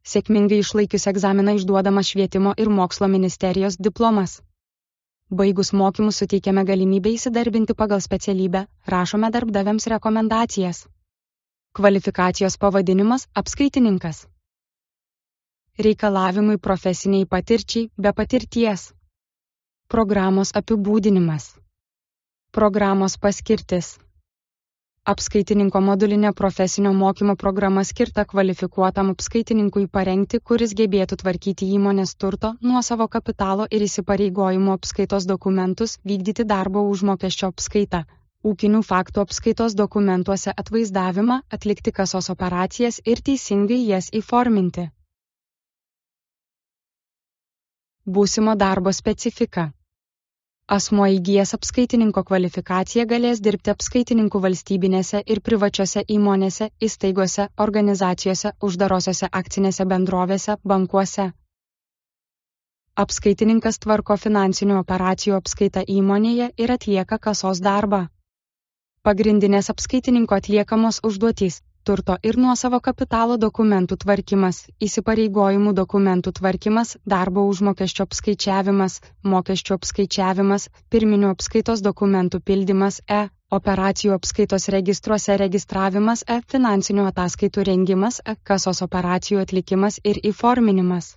Sėkmingai išlaikius egzaminą išduodamas Švietimo ir mokslo ministerijos diplomas. Baigus mokymus suteikiame galimybę įsidarbinti pagal specialybę, rašome darbdaviams rekomendacijas. Kvalifikacijos pavadinimas – apskaitininkas. Reikalavimai profesiniai patirčiai be patirties. Programos apibūdinimas. Programos paskirtis. Apskaitininko modulinė profesinio mokymo programa skirta kvalifikuotam apskaitininkui parengti, kuris gebėtų tvarkyti įmonės turto, nuosavo kapitalo ir įsipareigojimų apskaitos dokumentus, vykdyti darbo užmokesčio apskaitą, ūkinių faktų apskaitos dokumentuose atvaizdavimą, atlikti kasos operacijas ir teisingai jas įforminti. Būsimo darbo specifika. Asmuo įgijęs apskaitininko kvalifikaciją galės dirbti apskaitininkų valstybinėse ir privačiose įmonėse, įstaigose, organizacijose, uždarosiose akcinėse bendrovėse, bankuose. Apskaitininkas tvarko finansinių operacijų apskaitą įmonėje ir atlieka kasos darbą. Pagrindinės apskaitininko atliekamos užduotys – turto ir nuosavo kapitalo dokumentų tvarkymas, įsipareigojimų dokumentų tvarkymas, darbo užmokesčio apskaičiavimas, mokesčių apskaičiavimas, pirminių apskaitos dokumentų pildymas, operacijų apskaitos registruose registravimas, finansinių ataskaitų rengimas, kasos operacijų atlikimas ir įforminimas.